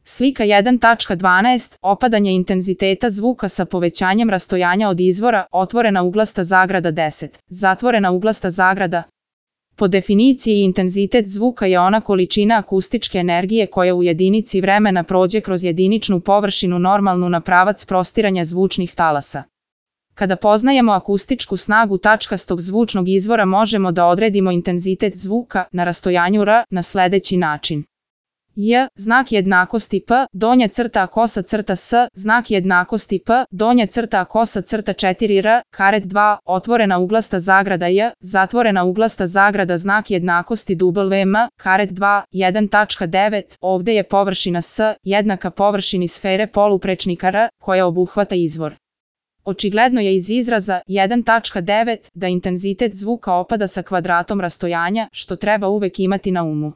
Slika 1.12. Opadanje intenziteta zvuka sa povećanjem rastojanja od izvora, otvorena uglasta zagrada 10, zatvorena uglasta zagrada. Po definiciji intenzitet zvuka je ona količina akustičke energije koja u jedinici vremena prođe kroz jediničnu površinu normalnu na pravac prostiranja zvučnih talasa. Kada poznajemo akustičku snagu tačkastog zvučnog izvora možemo da odredimo intenzitet zvuka na rastojanju r na sledeći način. J, znak jednakosti P, donja crta kosa crta S, znak jednakosti P, donja crta kosa crta 4R, karet 2, otvorena uglasta zagrada J, zatvorena uglasta zagrada znak jednakosti WM, karet 2, 1.9, ovde je površina S, jednaka površini sfere poluprečnika R, koja obuhvata izvor. Očigledno je iz izraza 1.9 da intenzitet zvuka opada sa kvadratom rastojanja, što treba uvek imati na umu.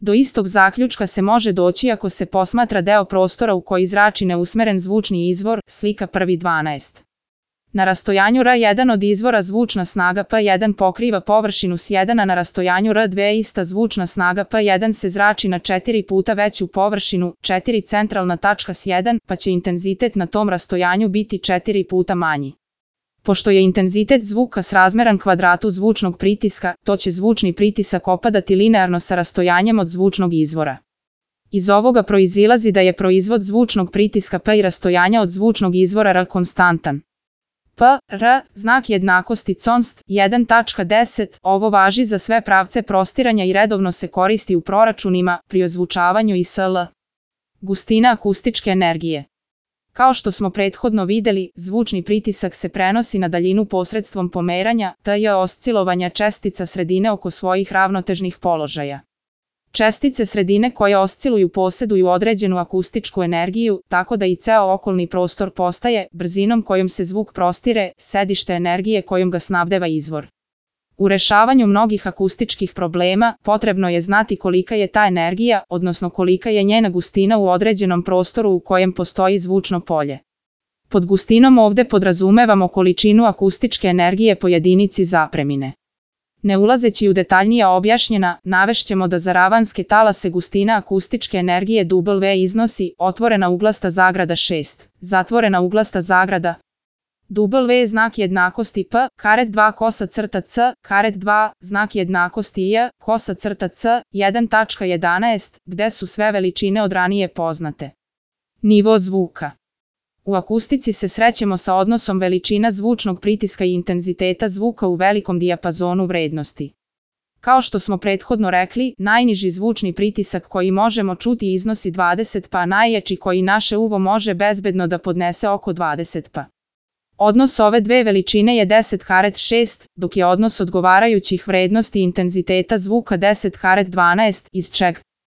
Do istog zaključka se može doći ako se posmatra deo prostora u koji zrači neusmeren zvučni izvor, slika 1.12. Na rastojanju R1 od izvora zvučna snaga P1 pokriva površinu S1, a na rastojanju R2 ista zvučna snaga P1 se zrači na 4 puta veću površinu, 4 centralna tačka S1, pa će intenzitet na tom rastojanju biti 4 puta manji. Pošto je intenzitet zvuka srazmeran kvadratu zvučnog pritiska, to će zvučni pritisak opadati linearno sa rastojanjem od zvučnog izvora. Iz ovoga proizilazi da je proizvod zvučnog pritiska P i rastojanja od zvučnog izvora R konstantan. P, R, znak jednakosti const, 1.10, ovo važi za sve pravce prostiranja i redovno se koristi u proračunima, pri ozvučavanju i sl. Gustina akustičke energije. Kao što smo prethodno videli, zvučni pritisak se prenosi na daljinu posredstvom pomeranja, tj. oscilovanja čestica sredine oko svojih ravnotežnih položaja. Čestice sredine koje osciluju poseduju određenu akustičku energiju, tako da i ceo okolni prostor postaje, brzinom kojom se zvuk prostire, sedište energije kojom ga snabdeva izvor. U rešavanju mnogih akustičkih problema, potrebno je znati kolika je ta energija, odnosno kolika je njena gustina u određenom prostoru u kojem postoji zvučno polje. Pod gustinom ovde podrazumevamo količinu akustičke energije po jedinici zapremine. Ne ulazeći u detaljnija objašnjena, navešćemo da za ravanske talase gustina akustičke energije W iznosi otvorena uglasta zagrada 6, zatvorena uglasta zagrada W znak jednakosti P, karet 2 kosa crta C, karet 2, znak jednakosti J, kosa crta C, 1.11, gde su sve veličine od ranije poznate. Nivo zvuka. U akustici se srećemo sa odnosom veličina zvučnog pritiska i intenziteta zvuka u velikom dijapazonu vrednosti. Kao što smo prethodno rekli, najniži zvučni pritisak koji možemo čuti iznosi 20 pa, najjači koji naše uvo može bezbedno da podnese oko 20 pa. Odnos ove dve veličine je 10 karet 6, dok je odnos odgovarajućih vrednosti intenziteta zvuka 10 karet 12, iz čeg